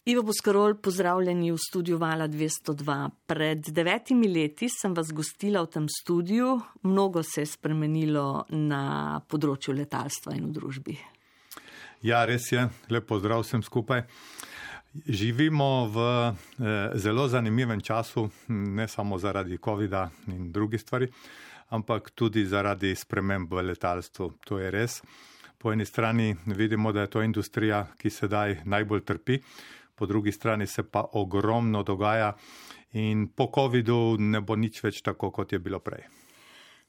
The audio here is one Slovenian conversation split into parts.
Ivo Boscarol, pozdravljeni v studiu Vala 202. Pred 9 leti sem vas gostila v tem studiu. Mnogo se je spremenilo na področju letalstva in v družbi. Ja, res je. Lep pozdrav vsem skupaj. Živimo v zelo zanimivem času, ne samo zaradi covida in drugih stvari, ampak tudi zaradi sprememb v letalstvu. To je res. Po eni strani vidimo, da je to industrija, ki sedaj najbolj trpi, po drugi strani se pa ogromno dogaja in po covidu ne bo nič več tako, kot je bilo prej.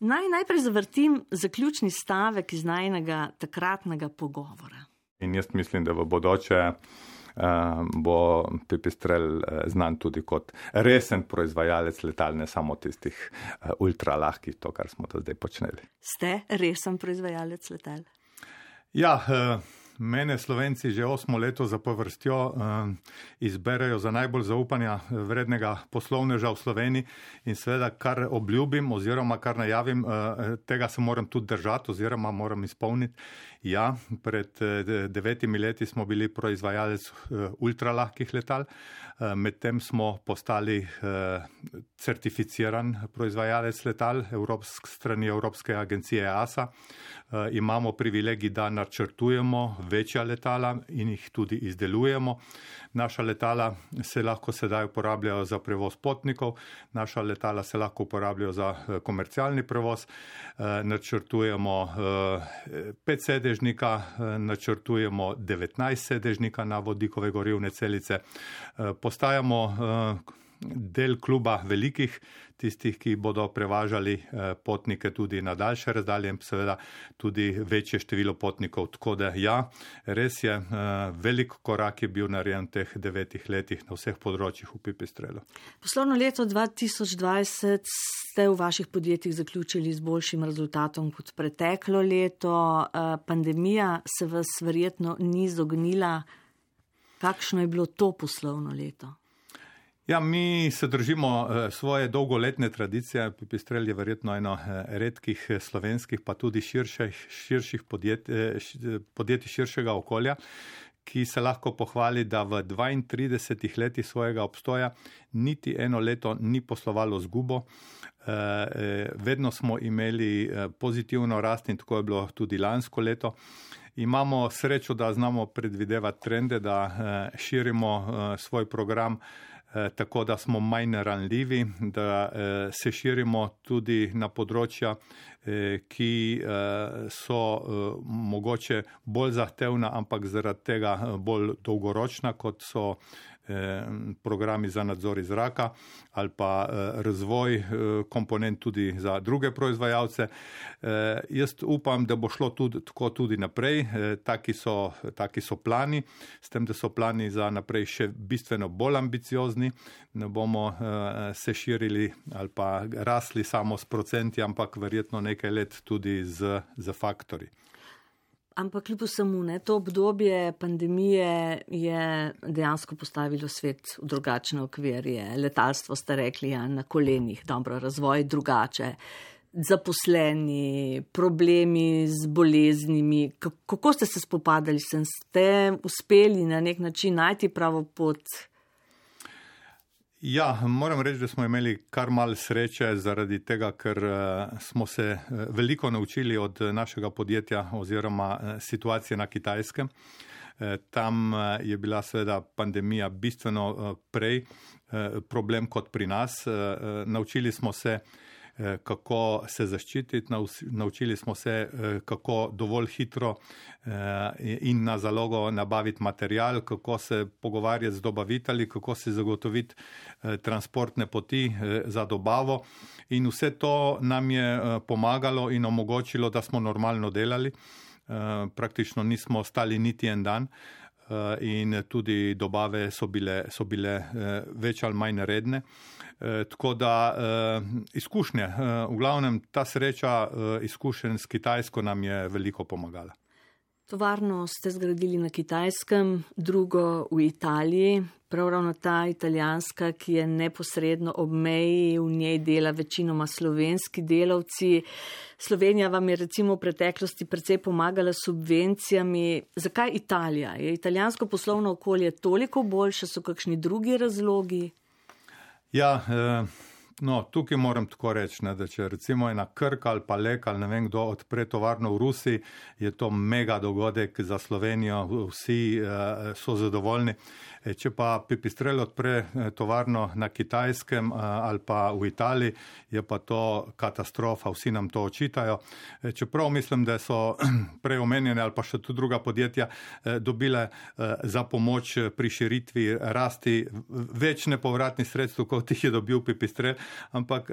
Najprej zavrtim zaključni stavek iz najinega takratnega pogovora. In jaz mislim, da v bodoče bo Pipistrel znan tudi kot resen proizvajalec letal, ne samo tistih ultra lahkih, to, kar smo do zdaj počneli. Ste resen proizvajalec letal? Ja, mene Slovenci že 8 leto zapovrstjo izberejo za najbolj zaupanja vrednega poslovneža v Sloveniji in seveda, kar obljubim oziroma kar najavim, tega se moram tudi držati oziroma moram izpolniti. Ja, pred 9 leti smo bili proizvajalec ultralahkih letal, medtem smo postali certificiran proizvajalec letal strani Evropske agencije EASA. Imamo privilegij, da načrtujemo večja letala in jih tudi izdelujemo. Naša letala se lahko sedaj uporabljajo za prevoz potnikov, naša letala se lahko uporabljajo za komercialni prevoz, načrtujemo 5-sedežnika, načrtujemo 19-sedežnika na vodikove gorivne celice, postajamo del kluba velikih, tistih, ki bodo prevažali potnike tudi na daljše razdalje in seveda tudi večje število potnikov. Tako da ja, res je, velik korak je bil narejen v teh 9 letih na vseh področjih v Pipistrelu. Poslovno leto 2020 ste v vaših podjetjih zaključili z boljšim rezultatom kot preteklo leto. Pandemija se vas verjetno ni izognila. Kakšno je bilo to poslovno leto? Ja, mi se držimo svoje dolgoletne tradicije. Pipistrel je verjetno eno redkih slovenskih, pa tudi širših podjetij širšega okolja, ki se lahko pohvali, da v 32 letih svojega obstoja niti eno leto ni poslovalo zgubo. Vedno smo imeli pozitivno rast in tako je bilo tudi lansko leto. Imamo srečo, da znamo predvidevati trende, da širimo svoj program tako, da smo manj ranljivi, da se širimo tudi na področja, ki so mogoče bolj zahtevna, ampak zaradi tega bolj dolgoročna, kot so programi za nadzor iz zraka ali pa razvoj komponent tudi za druge proizvajalce. Jaz upam, da bo šlo tako tudi naprej. Taki so plani, s tem, da so plani za naprej še bistveno bolj ambiciozni. Ne bomo se širili ali pa rasli samo s procenti, ampak verjetno nekaj let tudi z faktorji. Ampak kljub vsemu, to obdobje pandemije je dejansko postavilo svet v drugačne okvirje. Letalstvo ste rekli, ja, na kolenih, dobro, razvoj drugače, zaposleni, problemi z boleznimi. Kako ste se spopadali s tem? Ste uspeli na nek način najti pravo pot? Ja, moram reči, da smo imeli kar malo sreče zaradi tega, ker smo se veliko naučili od našega podjetja oziroma situacije na Kitajskem. Tam je bila seveda pandemija bistveno prej problem kot pri nas. Naučili smo se, kako se zaščititi, naučili smo se, kako dovolj hitro in na zalogo nabaviti material, kako se pogovarjati z dobavitelji, kako se zagotoviti transportne poti za dobavo. In vse to nam je pomagalo in omogočilo, da smo normalno delali. Praktično nismo stali niti en dan. In tudi dobave so bile več ali manj redne. Tako da izkušnje, v glavnem ta sreča izkušenj s Kitajsko nam je veliko pomagala. Tovarno ste zgradili na Kitajskem, drugo v Italiji, prav ravno ta italijanska, ki je neposredno ob meji, v njej dela večinoma slovenski delavci. Slovenija vam je recimo v preteklosti precej pomagala s subvencijami. Zakaj Italija? Je italijansko poslovno okolje toliko boljše, so kakšni drugi razlogi? Ja, tukaj moram tako reči, da če recimo ena Krka ali pa Lek ali ne vem kdo odpre tovarno v Rusiji, je to mega dogodek za Slovenijo, vsi so zadovoljni. Če pa Pipistrel odpre tovarno na Kitajskem ali pa v Italiji, je pa to katastrofa, vsi nam to očitajo. Čeprav mislim, da so prej omenjene ali pa še tudi druga podjetja dobile za pomoč pri širitvi rasti več nepovratnih sredstev, kot jih je dobil Pipistrel, ampak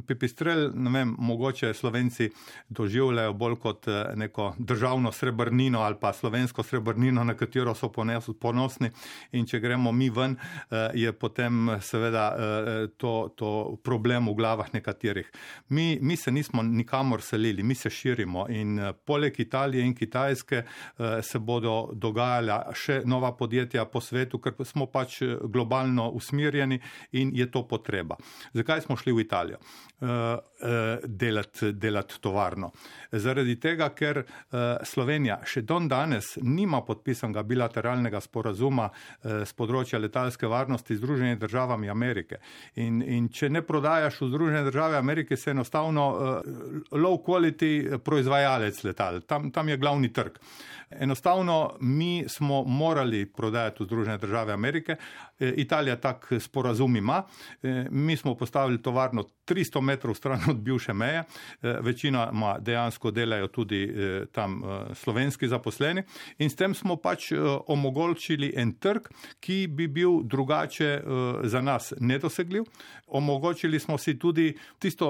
Pipistrel, ne vem, mogoče Slovenci doživljajo bolj kot neko državno srebrnino ali pa slovensko srebrnino, na katero so ponosni. In če gremo mi ven, je potem seveda to problem v glavah nekaterih. Mi se nismo nikamor selili, mi se širimo in poleg Italije in Kitajske se bodo dogajala še nova podjetja po svetu, ker smo pač globalno usmerjeni in je to potreba. Zakaj smo šli v Italijo delati tovarno? Zaradi tega, ker Slovenija še don danes nima podpisanega bilateralnega sporazuma z področja letalske varnosti z Združenimi državami Amerike. In če ne prodajaš v Združene države Amerike, se enostavno low quality proizvajalec letal. Tam je glavni trg. Enostavno mi smo morali prodajati v Združene države Amerike. Italija tak sporazum ima. Mi smo postavili tovarno 300 metrov stran od bivše meje. Večina dejansko delajo tudi tam slovenski zaposleni. In s tem smo pač omogočili en trg, ki bi bil drugače za nas nedosegljiv. Omogočili smo si tudi tisto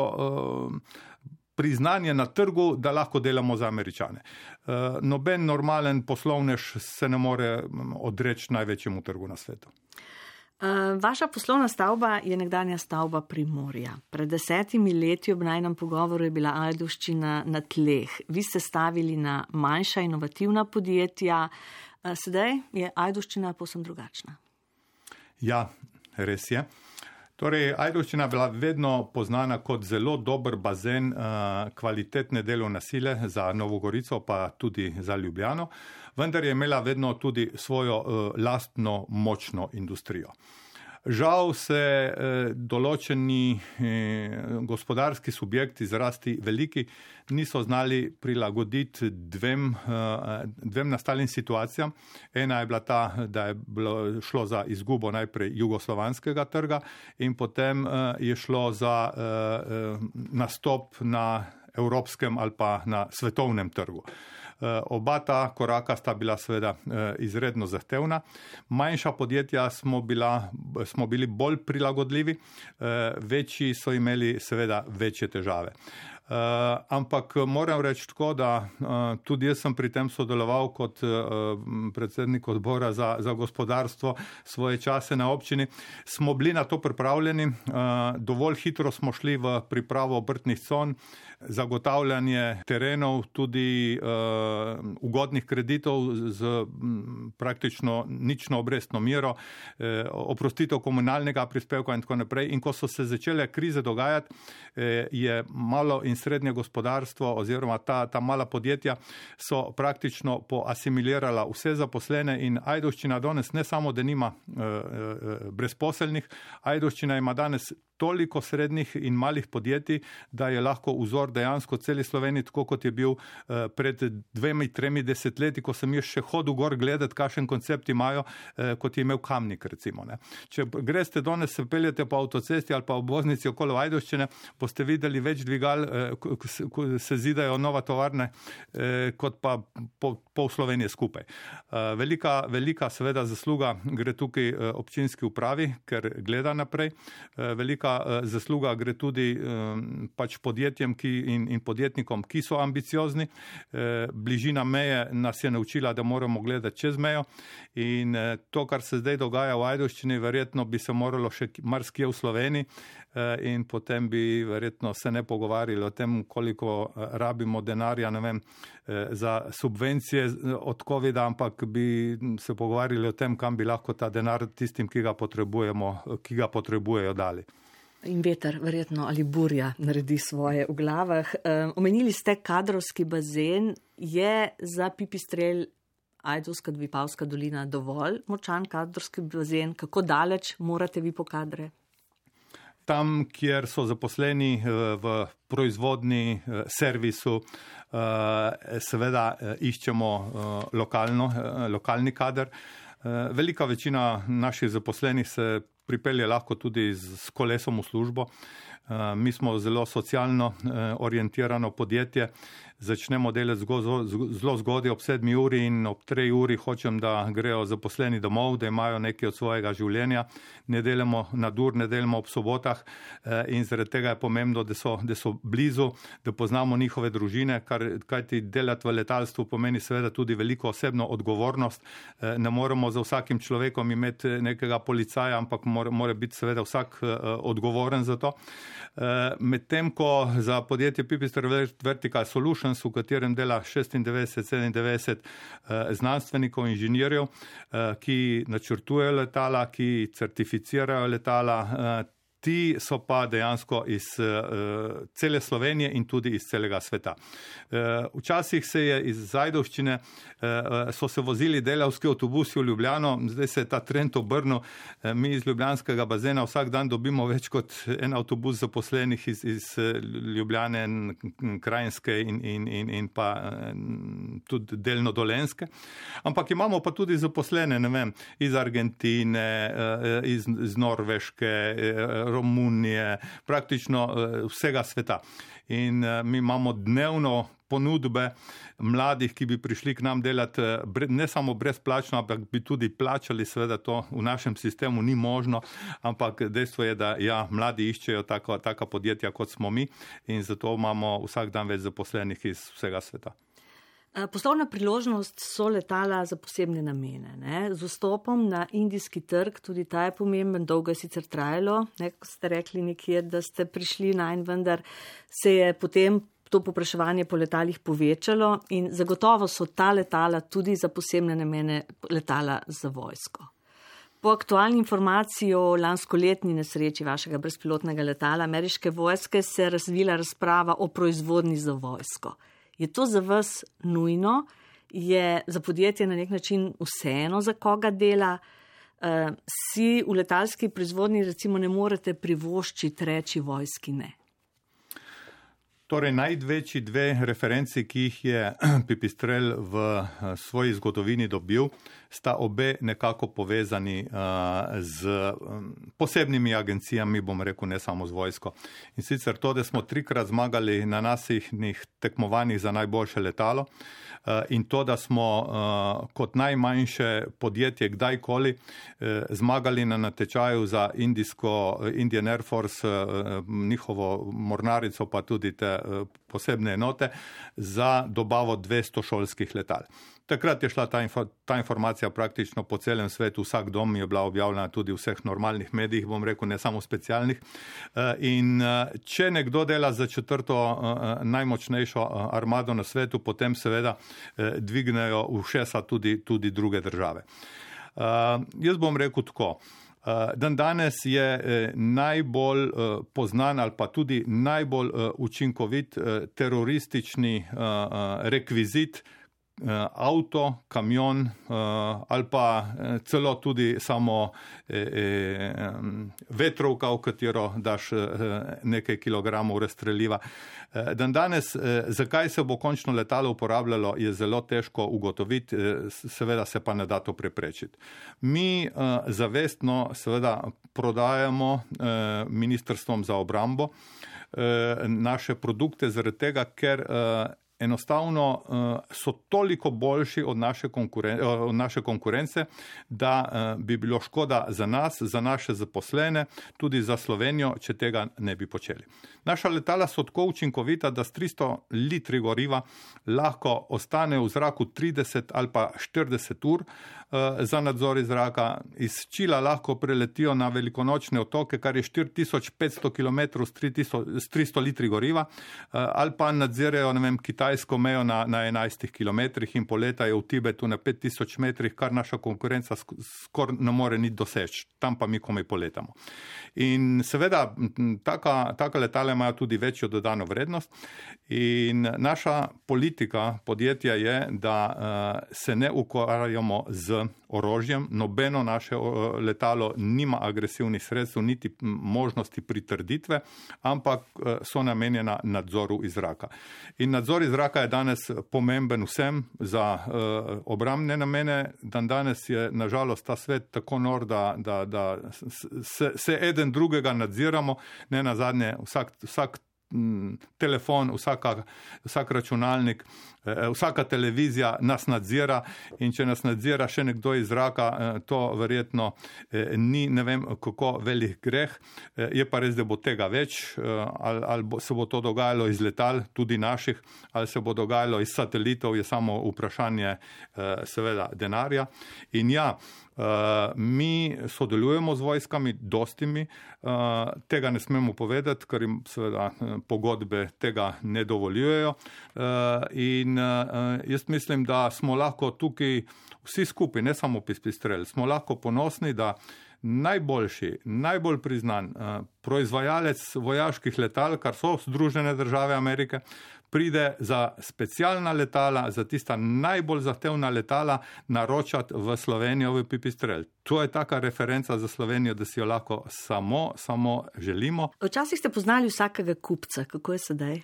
priznanje na trgu, da lahko delamo za Američane. Noben normalen poslovnež se ne more odreči največjemu trgu na svetu. Vaša poslovna stavba je nekdanja stavba Primorja. Pred 10 leti ob najnem pogovoru je bila Ajdovščina na tleh. Vi ste stavili na manjša inovativna podjetja. Sedaj je Ajdovščina povsem drugačna. Ja, res je. Torej, Ajdovščina je bila vedno poznana kot zelo dober bazen kvalitetne delovne sile za Novo Gorico, pa tudi za Ljubljano, vendar je imela vedno tudi svojo lastno močno industrijo. Žal se določeni gospodarski subjekti, zrasti veliki, niso znali prilagoditi dvem nastalim situacijam. Ena je bila ta, da je šlo za izgubo najprej jugoslovanskega trga in potem je šlo za nastop na evropskem ali pa na svetovnem trgu. Oba ta koraka sta bila seveda izredno zahtevna. Manjša podjetja smo bili bolj prilagodljivi, večji so imeli seveda večje težave. Ampak moram reči tako, da tudi jaz sem pri tem sodeloval kot predsednik odbora za gospodarstvo svoje čase na občini. Smo bili na to pripravljeni, dovolj hitro smo šli v pripravo obrtnih con, zagotavljanje terenov, tudi ugodnih kreditov z praktično nično obrestno mero, oprostitev komunalnega prispevka in tako naprej. In ko so se začele krize dogajati, je malo in srednje gospodarstvo oziroma ta mala podjetja so praktično poasimilirala vse zaposlene in Ajdovščina danes ne samo, da nima brezposelnih, Ajdovščina ima danes toliko srednjih in malih podjetij, da je lahko vzor dejansko celi Sloveniji, tako kot je bil pred 2-3 desetletji, ko sem jaz še hodil gor gledati, kakšen koncept imajo, kot je imel Kamnik, recimo. Ne. Če greste danes, se peljete po avtocesti ali pa obvoznici okolo Ajdovščine, boste videli več dvigal, ko se zidajo nova tovarne, kot pa pol Slovenije skupaj. Velika seveda zasluga gre tukaj občinski upravi, ker gleda naprej. Velika zasluga gre tudi pač podjetjem in podjetnikom, ki so ambiciozni. Bližina meje nas je naučila, da moramo gledati čez mejo in to, kar se zdaj dogaja v Ajdovščini, verjetno bi se moralo še marsikje v Sloveniji in potem bi verjetno se ne pogovarjali o o tem, koliko rabimo denarja, ne vem, za subvencije od COVID-a, ampak bi se pogovarjali o tem, kam bi lahko ta denar tistim, ki ga potrebujejo, dali. In veter, verjetno, ali burja naredi svoje v glavah. Omenili ste kadrovski bazen. Je za Pipistrelj Ajdovska-Vipavska dolina dovolj močan kadrovski bazen? Kako daleč morate vi po kadre? Tam, kjer so zaposleni v proizvodni servisu, seveda iščemo lokalni kader. Velika večina naših zaposlenih se pripelje lahko tudi s kolesom v službo. Mi smo zelo socialno orientirano podjetje. Začnemo delati zelo zgodaj ob 7 uri in ob 3 uri hočem, da grejo zaposleni domov, da imajo nekaj od svojega življenja. Ne delamo nadur, ne delamo ob sobotah in zaradi tega je pomembno, da so blizu, da poznamo njihove družine, kajti delati v letalstvu pomeni seveda tudi veliko osebno odgovornost. Ne moremo za vsakim človekom imeti nekega policaja, ampak mora biti seveda vsak odgovoren za to. Medtem ko za podjetje Pipistrelj Vertical Solutions, v katerem dela 96-97 znanstvenikov, inženirjev, ki načrtujejo letala, ki certificirajo letala, ti so pa dejansko iz cele Slovenije in tudi iz celega sveta. Včasih se je iz Ajdovščine so se vozili delavski avtobusi v Ljubljano, zdaj se je ta trend obrnil. Mi iz ljubljanskega bazena vsak dan dobimo več kot en avtobus zaposlenih iz Ljubljane, Krajinske in pa tudi delno Dolenjske. Ampak imamo pa tudi zaposlene, ne vem, iz Argentine, iz Norveške, Romunije, praktično vsega sveta. In mi imamo dnevno ponudbe mladih, ki bi prišli k nam delati ne samo brezplačno, ampak bi tudi plačali, seveda to v našem sistemu ni možno, ampak dejstvo je, da ja, mladi iščejo taka podjetja, kot smo mi in zato imamo vsak dan več zaposlenih iz vsega sveta. Poslovna priložnost so letala za posebne namene. Ne? Z vstopom na indijski trg, tudi ta je pomemben, dolgo je sicer trajalo, ko ste rekli nekje, da ste prišli najn, vendar se je potem to povpraševanje po letalih povečalo in zagotovo so ta letala tudi za posebne namene letala za vojsko. Po aktualni informaciji o lanskoletni nesreči vašega brezpilotnega letala ameriške vojske se je razvila razprava o proizvodnji za vojsko. Je to za vas nujno? Je za podjetje na nek način vseeno, za koga dela? Si v letalski proizvodnji recimo ne morete privoščiti reči vojski ne? Torej, največji dve referenci, ki jih je Pipistrelj v svoji zgodovini dobil, sta obe nekako povezani z posebnimi agencijami, bom rekel, ne samo z vojsko. In sicer to, da smo 3-krat zmagali na nasihnih tekmovanjih za najboljše letalo in to, da smo kot najmanjše podjetje kdajkoli zmagali na natečaju za Indian Air Force, njihovo mornarico, pa tudi te posebne enote za dobavo 200 šolskih letal. Takrat je šla ta informacija praktično po celem svetu, vsak dom je bila objavljena tudi v vseh normalnih medijih, bom rekel, ne samo specialnih. In če nekdo dela za 4. najmočnejšo armado na svetu, potem seveda dvignejo ušesa tudi druge države. Jaz bom rekel tako. Dan danes je najbolj poznan ali pa tudi najbolj učinkovit teroristični rekvizit avto, kamion ali pa celo tudi samo vetrovka, v katero daš nekaj kilogramov razstreliva. Dan danes, zakaj se bo končno letalo uporabljalo, je zelo težko ugotoviti, seveda se pa ne da to preprečiti. Mi zavestno seveda prodajamo ministrstvom za obrambo naše produkte zaradi tega, ker enostavno so toliko boljši od naše konkurence, da bi bilo škoda za nas, za naše zaposlene, tudi za Slovenijo, če tega ne bi počeli. Naša letala so tako učinkovita, da s 300 litri goriva lahko ostane v zraku 30 ali pa 40 ur za nadzor iz zraka. Iz Čila lahko preletijo na velikonočne otoke, kar je 4500 km s 300 litri goriva, ali pa nadzirajo, kitajsko mejo na 11 km in poletajo v Tibetu na 5000 metrih, kar naša konkurenca skoraj ne more niti doseči. Tam pa mi komaj poletamo. In seveda, taka letala imajo tudi večjo dodano vrednost in naša politika podjetja je, da se ne ukvarjamo z orožjem. Nobeno naše letalo nima agresivnih sredstev, niti možnosti pritrditve, ampak so namenjena nadzoru iz zraka. In nadzor iz zraka je danes pomemben vsem za obrambne namene. Danes je nažalost ta svet tako nor, da se eden drugega nadziramo, ne nazadnje vsak telefon, vsak računalnik, vsaka televizija nas nadzira in če nas nadzira še nekdo iz zraka, to verjetno ni ne vem kako velik greh. Je pa res, da bo tega več, ali se bo to dogajalo iz letal, tudi naših, ali se bo dogajalo iz satelitov, je samo vprašanje seveda denarja. In ja, mi sodelujemo z vojskami, dostimi, tega ne smemo povedati, ker jim seveda pogodbe tega ne dovoljujejo. In jaz mislim, da smo lahko tukaj vsi skupaj, ne samo Pipistrel, smo lahko ponosni, da najbolj priznan proizvajalec vojaških letal, kar so Združene države Amerike, pride za specialna letala, za tista najbolj zahtevna letala naročati v Slovenijo v Pipistrel. To je taka referenca za Slovenijo, da si jo lahko samo želimo. Včasih ste poznali vsakega kupca, kako je sedaj?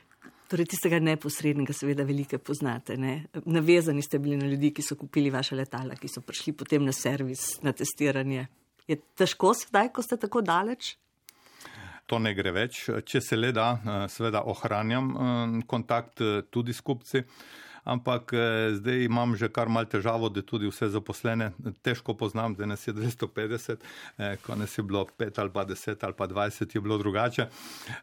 Torej tistega neposrednega seveda velike poznate, ne? Navezani ste bili na ljudi, ki so kupili vaše letala, ki so prišli potem na servis, na testiranje. Je težko sedaj, ko ste tako daleč? To ne gre več. Če se le da, seveda ohranjam kontakt tudi s kupci, ampak zdaj imam že kar malo težavo, da tudi vse zaposlene težko poznam, da nas je 250, ko nas je bilo 5 ali pa 10 ali pa 20, je bilo drugače.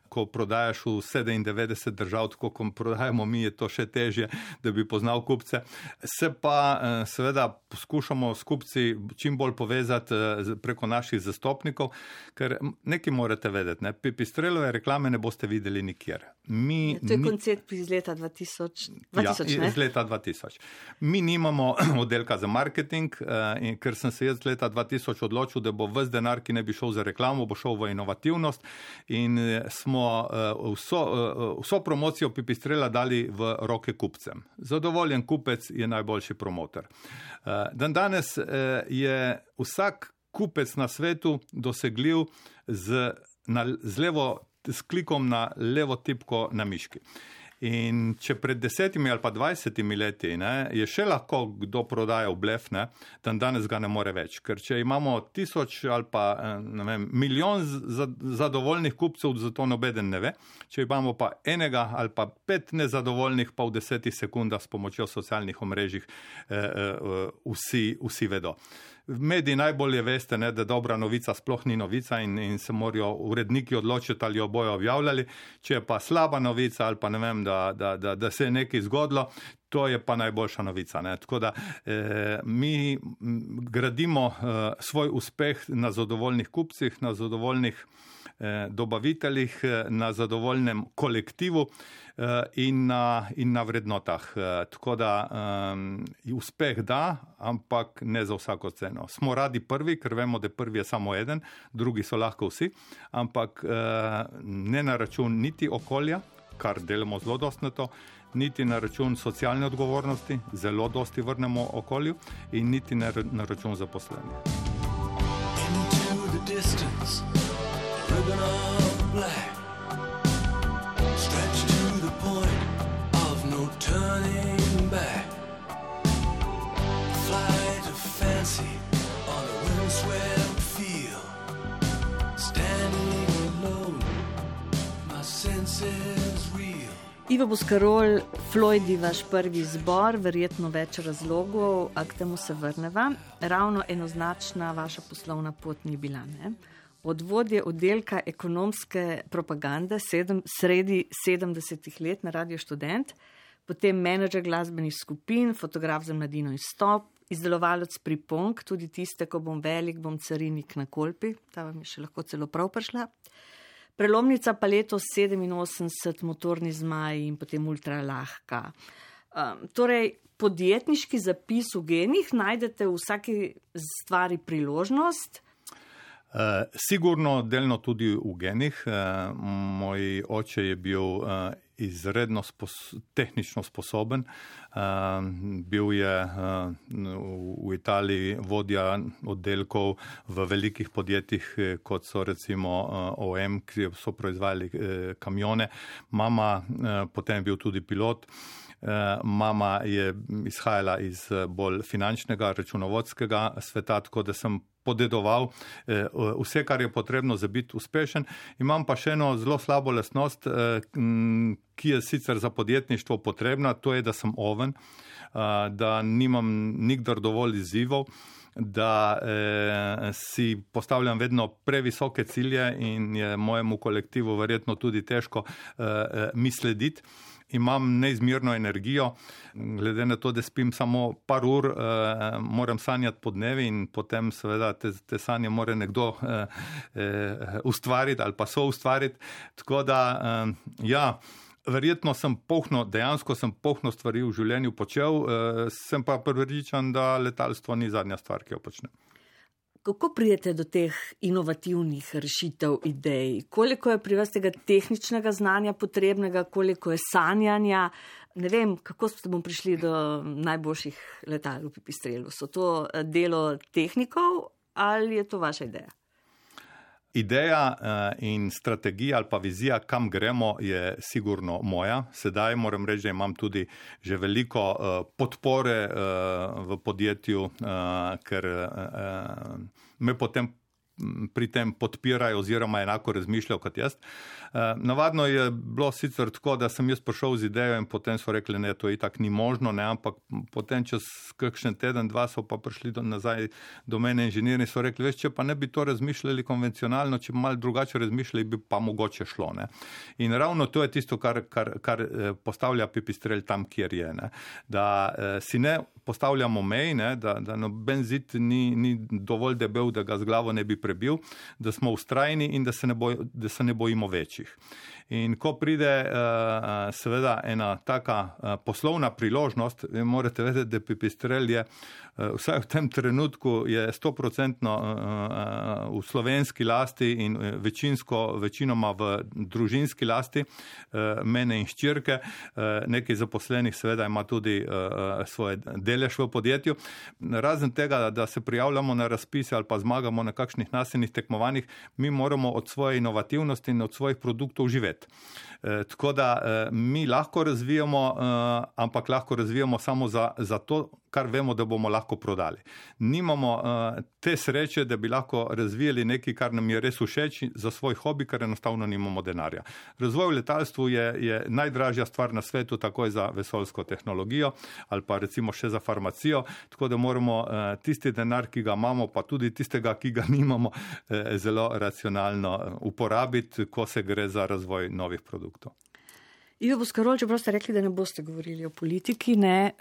Ko prodajaš v 97 držav, tako kot prodajamo mi, je to še težje, da bi poznal kupce. Se pa seveda poskušamo s kupci čim bolj povezati preko naših zastopnikov, ker nekaj morate vedeti, ne? Pipistrelove reklame ne boste videli nikjer. To je koncept iz leta 2000, ne? Iz leta 2000. Mi nimamo oddelka za marketing, in ker sem se jaz leta 2000 odločil, da bo ves denar, ki ne bi šel za reklamo, bo šel v inovativnost in smo vso promocijo Pipistrela dali v roke kupcem. Zadovoljen kupec je najboljši promotor. Danes je vsak kupec na svetu dosegljiv s klikom na levo tipko na miški. In če pred 10 ali pa 20 leti je še lahko kdo prodajal blef, danes ga ne more več. Ker če imamo 1000 ali pa milijon zadovoljnih kupcev, zato nobeden ne ve. Če imamo pa enega ali pa 5 nezadovoljnih, pa v 10 sekundah s pomočjo socialnih omrežij vsi vedo. V mediji najbolje veste, da dobra novica sploh ni novica in se morajo uredniki odločiti, ali jo bojo objavljali. Če je pa slaba novica ali pa ne vem, da se je nekaj zgodilo, to je pa najboljša novica. Tako da mi gradimo svoj uspeh na zadovoljnih kupcih, na zadovoljnih dobaviteljih, na zadovoljnem kolektivu in na vrednotah. Tako da uspeh da, ampak ne za vsako ceno. Smo radi prvi, ker vemo, da prvi je samo eden, drugi so lahko vsi, ampak ne na račun niti okolja, kar delamo zelo dosti na to, niti na račun socialne odgovornosti, zelo dosti vrnemo okolju, in niti na račun zaposlenih. Ribbon of black stretched to the point of no turning back. Flight of fancy on a windswept field. Standing alone, my senses real. Ivo Boscarol, Floydi, vaš prvi izbor, verjetno več razlogov, a k temu se vrneva. Ravno enoznačna vaša poslovna pot ni bila, ne? Od vodje oddelka ekonomske propagande sredi 70 let na Radio Študent, potem menedžer glasbenih skupin, fotograf za Mladino Izstop izdelovalec pripomb, tudi tiste, ko bom velik, bom carinik na Kolpi, ta vam je še lahko celo prav prišla. Prelomnica pa letos 87, motorni zmaj in potem ultra lahka. Torej, podjetniški zapis v genih, najdete v vsaki stvari priložnost? Sigurno delno tudi v genih. Moj oče je bil izredno tehnično sposoben. Bil je v Italiji vodja oddelkov v velikih podjetjih, kot so recimo OM, ki so proizvajali kamione. Mama potem je bil tudi pilot. Mama je izhajala iz bolj finančnega, računovodskega sveta, tako da sem podedoval vse, kar je potrebno za biti uspešen. Imam pa še eno zelo slabo lastnost, ki je sicer za podjetništvo potrebna, to je, da sem oven, da nimam nikdar dovolj izzivov, da si postavljam vedno previsoke cilje in je mojemu kolektivu verjetno tudi težko mi slediti. Imam neizmerno energijo, glede na to, da spim samo par ur, moram sanjati po dnevi in potem seveda te sanje mora nekdo ustvariti ali pa soustvariti. Tako da, ja, verjetno dejansko sem polno stvari v življenju počel, sem pa prepričan, da letalstvo ni zadnja stvar, ki jo počnem. Kako pridete do teh inovativnih rešitev, idej? Koliko je pri vas tega tehničnega znanja potrebnega, koliko je sanjanja? Ne vem, kako ste bom prišli do najboljših letal v Pipistrelu. So to delo tehnikov ali je to vaša ideja? Ideja in strategija ali pa vizija, kam gremo, je sigurno moja. Sedaj moram reči, da imam tudi že veliko podpore v podjetju, ker me potem pri tem podpirajo oziroma enako razmišljajo kot jaz. Navadno je bilo sicer tako, da sem jaz prišel z idejo in potem so rekli, ne, to itak ni možno, ne, ampak potem čez kakšen teden, dva so pa prišli nazaj do mene inženirji in so rekli, veš, če pa ne bi to razmišljali konvencionalno, če bi malo drugače razmišljali, bi pa mogoče šlo. Ne. In ravno to je tisto, kar postavlja Pipistrel tam, kjer je. Ne. Da si ne postavljamo mej, ne, da noben zid ni dovolj debel, da ga z glavo ne bi prebil, da smo ustrajni in da se ne bojimo večjih. In ko pride seveda ena taka poslovna priložnost, morate vedeti, da Pipistrel je vsaj v tem trenutku je 100% v slovenski lasti in večinoma v družinski lasti, mene in hčerke. Nekaj zaposlenih seveda ima tudi svoje delež v podjetju. Razen tega, da se prijavljamo na razpise ali pa zmagamo na kakšnih nasilnih tekmovanjih, mi moramo od svoje inovativnosti in od svojih produktov živeti. Tako da mi lahko razvijamo, ampak lahko razvijamo samo za to, kar vemo, da bomo lahko prodali. Nimamo te sreče, da bi lahko razvijali nekaj, kar nam je res všeč za svoj hobi, ker enostavno nimamo denarja. Razvoj v letalstvu je najdražja stvar na svetu, takoj za vesoljsko tehnologijo ali pa recimo še za farmacijo, tako da moramo tisti denar, ki ga imamo, pa tudi tistega, ki ga nimamo, zelo racionalno uporabiti, ko se gre za razvoj novih produktov. Ivo Boscarol, čeprav ste rekli, da ne boste govorili o politiki, ne,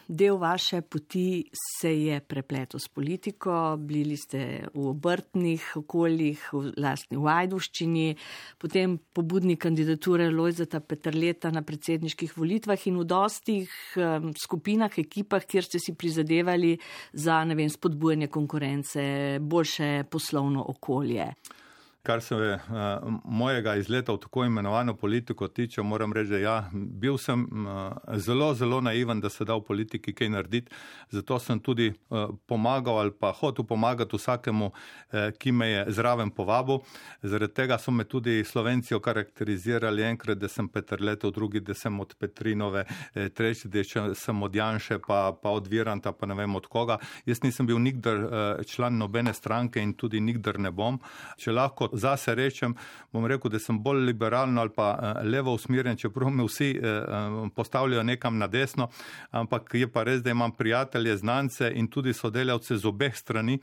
del vaše poti se je prepletel s politiko, bili ste v obrtnih okoljih, v lastni Ajdovščini, potem pobudnik kandidature Lojzeta Peterleta na predsedniških volitvah in v dostih skupinah, ekipah, kjer ste si prizadevali za, ne vem, spodbujanje konkurence, boljše poslovno okolje. Kar se mojega izleta v tako imenovano politiko tiče, moram reči, da ja, bil sem zelo, zelo naiven, da se da v politiki kaj narediti. Zato sem tudi pomagal ali pa hotel pomagati vsakemu, ki me je zraven povabil. Zaradi tega so me tudi Slovenci okarakterizirali enkrat, da sem Peterletov, drugi, da sem od Petrinove, tretji, da sem od Janše, pa od Viranta, pa ne vem od koga. Jaz nisem bil nikdar član nobene stranke in tudi nikdar ne bom. Če lahko zase rečem, bom rekel, da sem bolj liberalno ali pa levo usmerjen, čeprav me vsi postavljajo nekam na desno, ampak je pa res, da imam prijatelje, znance in tudi sodelavce z obeh strani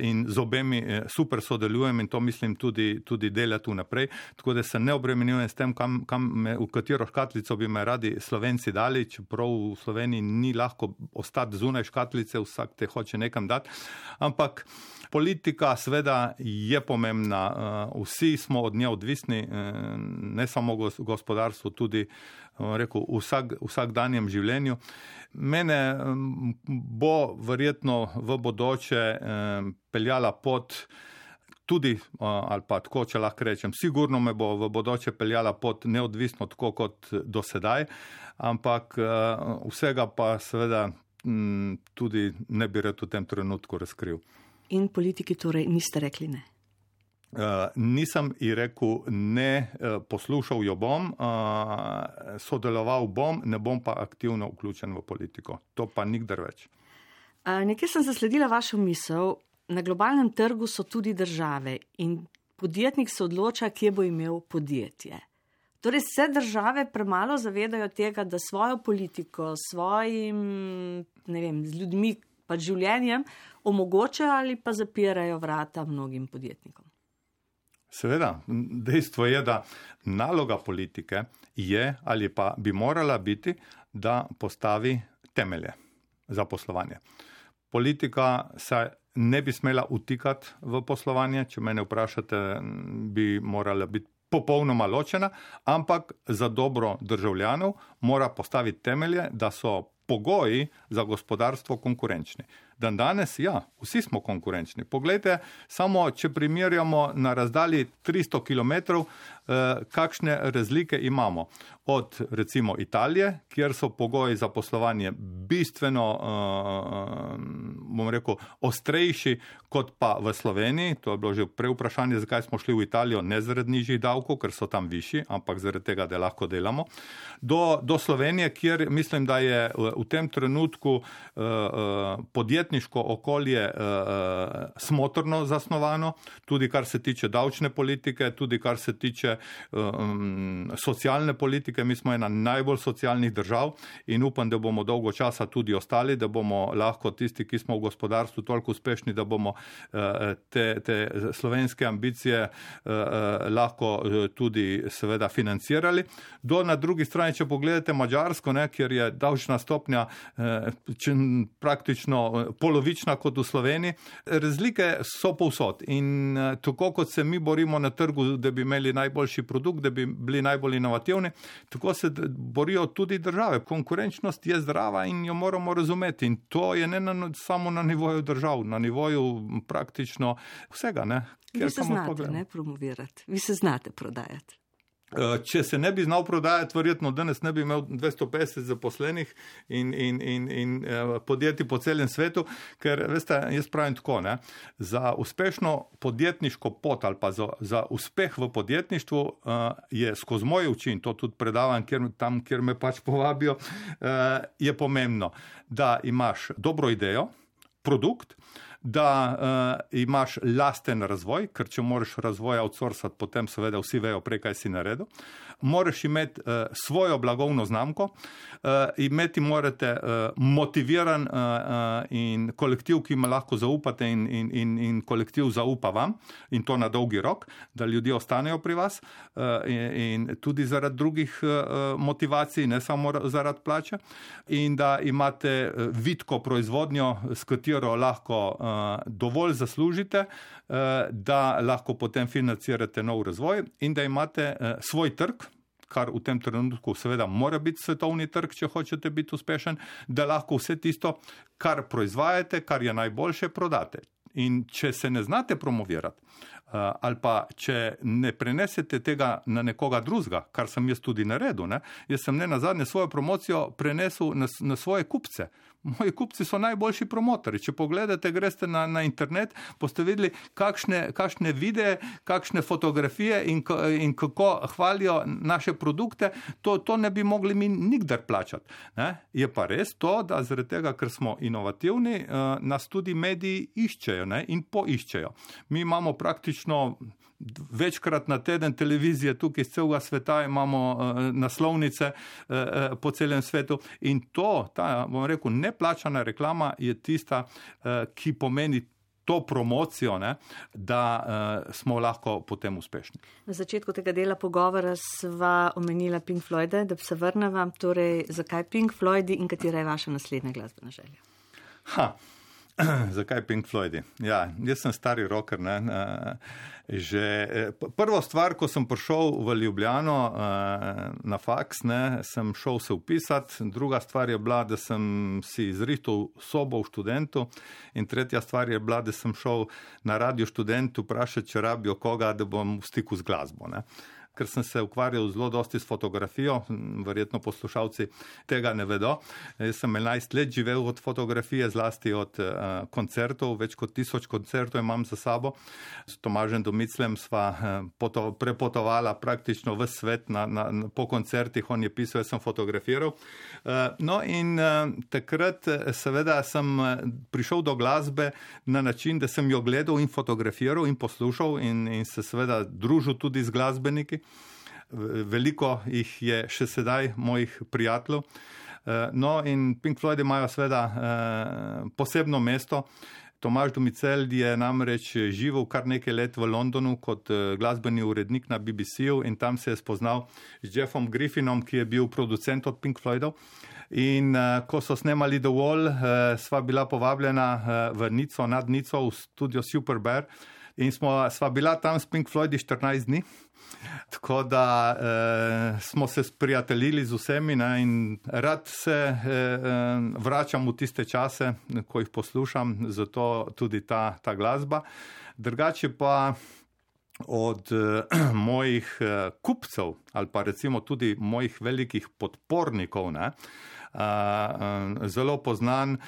in z obemi super sodelujem in to mislim tudi delati vnaprej, tako da se ne obremenjujem s tem, v katero škatlico bi me radi Slovenci dali, čeprav v Sloveniji ni lahko ostati zunaj škatlice, vsak te hoče nekam dati, ampak politika seveda je pomembna, vsi smo od nje odvisni, ne samo gospodarstvo, tudi rekel, vsakdanjem življenju. Mene bo verjetno v bodoče peljala pot tudi, ali pa tako, če lahko rečem, sigurno me bo v bodoče peljala pot neodvisno tako kot do sedaj, ampak vsega pa seveda tudi ne bi rad v tem trenutku razkril. In politiki torej niste rekli ne? Nisem ji rekel ne, poslušal jo bom, sodeloval bom, ne bom pa aktivno vključen v politiko. To pa nikdar več. Nekaj sem zasledila vašo misel. Na globalnem trgu so tudi države in podjetnik se odloča, kje bo imel podjetje. Torej se države premalo zavedajo tega, da svojo politiko, svojim, ne vem, z ljudmi, pa življenjem omogočajo ali pa zapirajo vrata mnogim podjetnikom. Seveda, dejstvo je, da naloga politike je ali pa bi morala biti, da postavi temelje za poslovanje. Politika se ne bi smela utikati v poslovanje, če mene vprašate, bi morala biti popolnoma ločena, ampak za dobro državljanov mora postaviti temelje, da so pogoji za gospodarstvo konkurenčni. Dan danes, ja, vsi smo konkurenčni. Poglejte, samo če primerjamo na razdalji 300 km, kakšne razlike imamo. Od recimo Italije, kjer so pogoji za poslovanje bistveno, bom rekel, ostrejši kot pa v Sloveniji. To je bilo že prej vprašanje, zakaj smo šli v Italijo, ne zaradi nižjih davkov, ker so tam višji, ampak zaradi tega, da lahko delamo. Do Slovenije, kjer mislim, da je v tem trenutku podjetniško okolje smotrno zasnovano, tudi kar se tiče davčne politike, tudi kar se tiče socialne politike. Mi smo ena najbolj socialnih držav in upam, da bomo dolgo časa tudi ostali, da bomo lahko tisti, ki smo v gospodarstvu toliko uspešni, da bomo te slovenske ambicije lahko tudi seveda financirali. Na drugi strani, če pogledate Madžarsko, kjer je davčna stopnja praktično polovična kot v Sloveniji, razlike so povsod in tako kot se mi borimo na trgu, da bi imeli najboljši produkt, da bi bili najbolj inovativni, tako se borijo tudi države. Konkurenčnost je zdrava in jo moramo razumeti in to je ne samo na nivoju držav, na nivoju praktično vsega. Vi se znate promovirati, vi se znate prodajati. Če se ne bi znal prodajati, verjetno danes ne bi imel 250 zaposlenih in podjetij po celem svetu, ker, veste, jaz pravim tako, za uspešno podjetniško pot ali pa za uspeh v podjetništvu je skozi moje oči, in to tudi predavam tam, kjer me pač povabijo, je pomembno, da imaš dobro idejo, produkt, da imaš lasten razvoj, ker če moraš razvoj outsourcati, potem seveda vsi vejo prej, kaj si naredil. Moraš imeti svojo blagovno znamko, imeti morate motiviran in kolektiv, ki ima lahko zaupate in kolektiv zaupa vam in to na dolgi rok, da ljudje ostanejo pri vas in tudi zaradi drugih motivacij, ne samo zaradi plače, in da imate vitko proizvodnjo, s katero lahko dovolj zaslužite, da lahko potem financirate nov razvoj in da imate svoj trg, kar v tem trenutku seveda mora biti svetovni trg, če hočete biti uspešen, da lahko vse tisto, kar proizvajate, kar je najboljše, prodate. In če se ne znate promovirati, ali pa če ne prenesete tega na nekoga drugega, kar sem jaz tudi naredil, jaz sem nazadnje svojo promocijo prenesel na svoje kupce. Moji kupci so najboljši promotori. Če pogledate, greste na internet, boste videli, kakšne videe, kakšne fotografije in kako hvalijo naše produkte, to ne bi mogli mi nikdar plačati. Je pa res to, da zaradi tega, ker smo inovativni, nas tudi mediji iščejo. pogledajo, ne, in poiščejo. Mi imamo praktično večkrat na teden televizije tukaj iz celega sveta, imamo naslovnice po celem svetu in ta, bom rekel, neplačana reklama je tista, ki pomeni to promocijo, ne, da smo lahko potem uspešni. Na začetku tega dela pogovora sva omenila Pink Floyde, da se vrneva, torej zakaj Pink Floydi in katera je vaša naslednja glasbena želja? Zakaj Pink Floydi? Ja, jaz sem stari rocker, ne, prvo stvar, ko sem prišel v Ljubljano na faks, ne, sem šel se vpisati, druga stvar je bila, da sem si izrihtal sobo v Študentu in tretja stvar je bila, da sem šel na Radio Študent vprašati, če rabijo koga, da bom v stiku z glasbo, ne. Ker sem se ukvarjal zelo dosti s fotografijo, verjetno poslušalci tega ne vedo. Jaz sem 11 let živel od fotografije, zlasti od koncertov, več kot 1000 koncertov imam za sabo. S Tomažem Domiclem sva prepotovala praktično ves svet po koncertih, on je pisal, jaz sem fotografiral. No in takrat seveda sem prišel do glasbe na način, da sem jo gledal in fotografiral in poslušal in se seveda družil tudi z glasbeniki. Veliko jih je še sedaj mojih prijateljev. No in Pink Floyd imajo seveda posebno mesto. Tomaž Domicel je namreč živel kar nekaj let v Londonu kot glasbeni urednik na BBC-u in tam se je spoznal z Jeffom Griffinom, ki je bil producent od Pink Floydov. In ko so snemali The Wall, sva bila povabljena v Nico, nad Nico, v studio Super Bear in sva bila tam s Pink Floydi 14 dni. Tako da smo se sprijateljili z vsemi, ne, in rad se vračam v tiste čase, ko jih poslušam, zato tudi ta glasba. Drugače pa od mojih kupcev ali pa recimo tudi mojih velikih podpornikov, ne, zelo poznan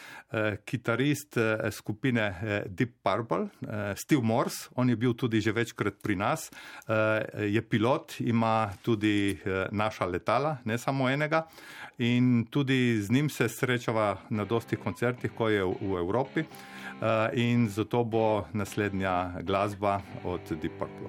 kitarist skupine Deep Purple, Steve Morse, on je bil tudi že večkrat pri nas, je pilot, ima tudi naša letala, ne samo enega, in tudi z njim se srečava na dostih koncertih, ko je v Evropi, in zato bo naslednja glasba od Deep Purple.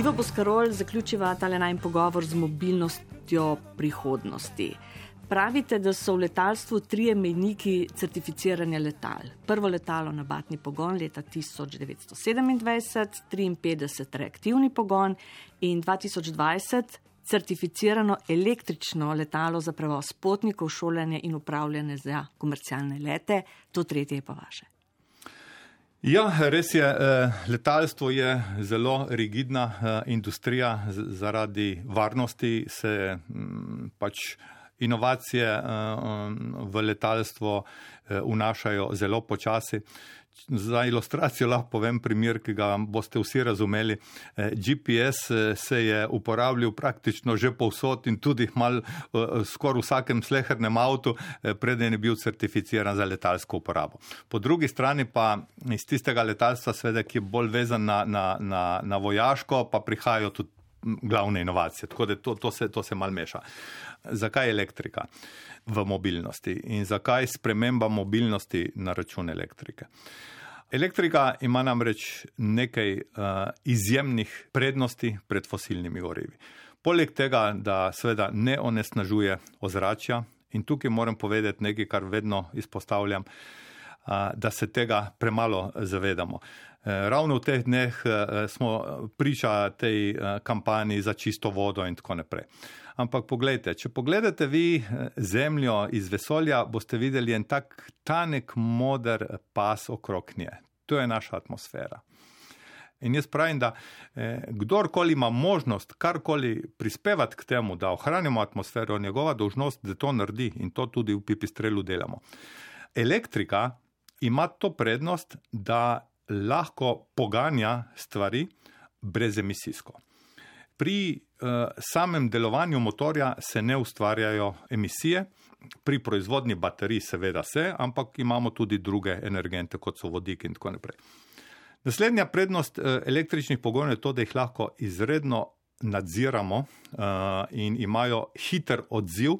Ivo Boscarol zaključiva tale najin pogovor z mobilnostjo prihodnosti. Pravite, da so v letalstvu 3 mejniki certificiranja letal. Prvo letalo na batni pogon leta 1927, 53 reaktivni pogon in 2020 certificirano električno letalo za prevoz potnikov, šolanje in upravljanje za komercialne lete. To tretje je pa vaše. Ja, res je, letalstvo je zelo rigidna industrija, zaradi varnosti se pač inovacije v letalstvo vnašajo zelo počasi. Za ilustracijo lahko povem primer, ki ga boste vsi razumeli. GPS se je uporabljal praktično že povsod in tudi skoraj v vsakem slehernem avtu, preden je bil certificiran za letalsko uporabo. Po drugi strani pa iz tistega letalstva, seveda, ki je bolj vezan na vojaško, pa prihajajo tudi glavne inovacije. Tako da to se malo meša. Zakaj elektrika v mobilnosti in zakaj sprememba mobilnosti na račun elektrike? Elektrika ima namreč nekaj izjemnih prednosti pred fosilnimi gorivi. Poleg tega, da seveda ne onesnažuje ozračja, in tukaj moram povedati nekaj, kar vedno izpostavljam, da se tega premalo zavedamo. Ravno v teh dneh smo priča tej kampanji za čisto vodo in tako naprej. Ampak poglejte, če pogledate vi Zemljo iz vesolja, boste videli en tak tanek moder pas okrog nje. To je naša atmosfera. In jaz pravim, da kdorkoli ima možnost karkoli prispevati k temu, da ohranimo atmosfero, njegova dolžnost, da to naredi, in to tudi v Pipistrelu delamo. Elektrika ima to prednost, da lahko poganja stvari brezemisijsko. Pri samem delovanju motorja se ne ustvarjajo emisije, pri proizvodnji baterij seveda se, ampak imamo tudi druge energente, kot so vodik in tako naprej. Naslednja prednost električnih pogonov je to, da jih lahko izredno nadziramo in imajo hiter odziv,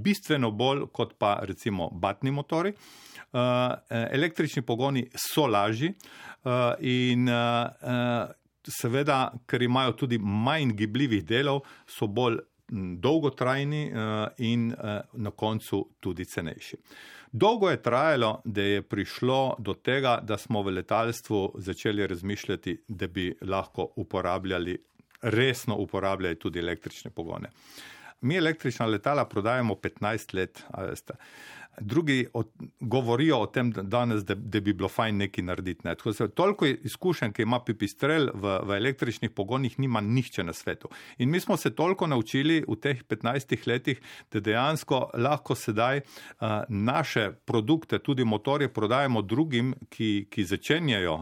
bistveno bolj kot pa recimo batni motori. Električni pogoni so lažji in seveda, ker imajo tudi manj gibljivih delov, so bolj dolgotrajni in na koncu tudi cenejši. Dolgo je trajalo, da je prišlo do tega, da smo v letalstvu začeli razmišljati, da bi lahko resno uporabljali tudi električne pogone. Mi električna letala prodajamo 15 let, a veste. Drugi govorijo o tem danes, da bi bilo fajn nekaj narediti. Ne. Toliko izkušenj, ki ima Pipistrel v električnih pogonih, nima nihče na svetu. In mi smo se toliko naučili v teh 15 letih, da dejansko lahko sedaj naše produkte, tudi motorje, prodajamo drugim, ki začenjajo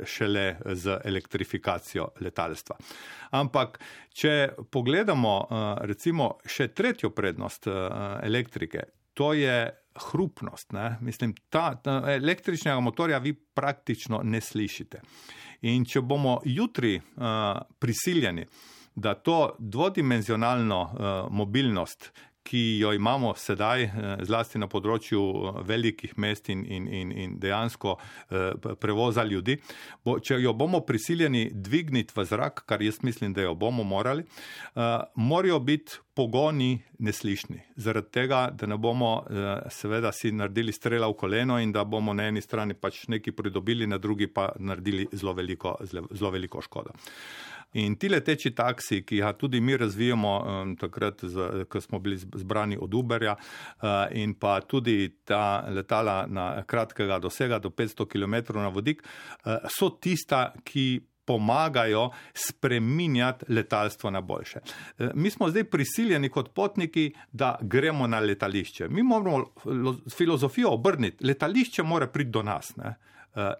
šele z elektrifikacijo letalstva. Ampak, če pogledamo recimo še tretjo prednost elektrike, to je hrupnost. Ne? Mislim, ta električnega motorja vi praktično ne slišite. In če bomo jutri prisiljeni, da to dvodimenzionalno mobilnost, ki jo imamo sedaj, zlasti na področju velikih mest in dejansko prevoza ljudi, če jo bomo prisiljeni dvigniti v zrak, kar jaz mislim, da jo bomo morali, morajo biti pogoni neslišni. Zaradi tega, da ne bomo seveda si naredili strela v koleno in da bomo na eni strani pač nekaj pridobili, na drugi pa naredili zelo veliko škodo. In ti leteči taksi, ki ga tudi mi razvijamo takrat, ko smo bili zbrani od Uberja, in pa tudi ta letala na kratkega dosega do 500 km na vodik, so tista, ki pomagajo spreminjati letalstvo na boljše. Mi smo zdaj prisiljeni kot potniki, da gremo na letališče. Mi moramo filozofijo obrniti. Letališče mora priti do nas, ne?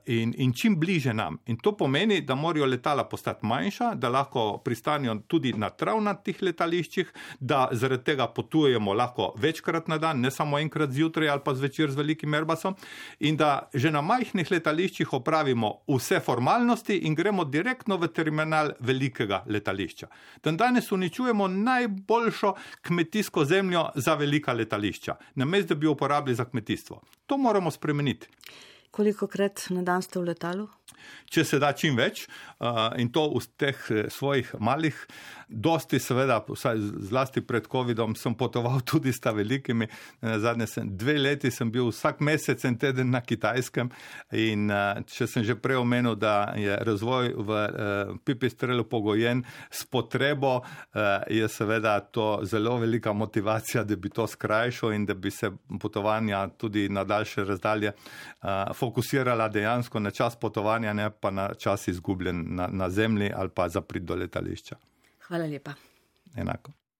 In čim bliže nam. In to pomeni, da morajo letala postati manjša, da lahko pristanijo tudi na travnatih letališčih, da zaradi tega potujemo lahko večkrat na dan, ne samo enkrat zjutraj ali pa zvečer z velikim Airbusom, in da že na majhnih letališčih opravimo vse formalnosti in gremo direktno v terminal velikega letališča. Danes uničujemo najboljšo kmetijsko zemljo za velika letališča, namesto da bi jo uporabili za kmetijstvo. To moramo spremeniti. Kolikokrat na dan ste v letalu? Če se da čim več, in to v teh svojih malih, dosti seveda, zlasti pred Covidom, sem potoval tudi s ta velikimi. Zadnje 2 leti sem bil vsak mesec en teden na Kitajskem in če sem že prej omenil, da je razvoj v Pipistrelu pogojen s potrebo, je seveda to zelo velika motivacija, da bi to skrajšal in da bi se potovanja tudi na daljše razdalje fokusirala dejansko na čas potovanja, ne pa na čas izgubljen na zemlji ali pa za prid do letališča. Hvala lepa. Enako.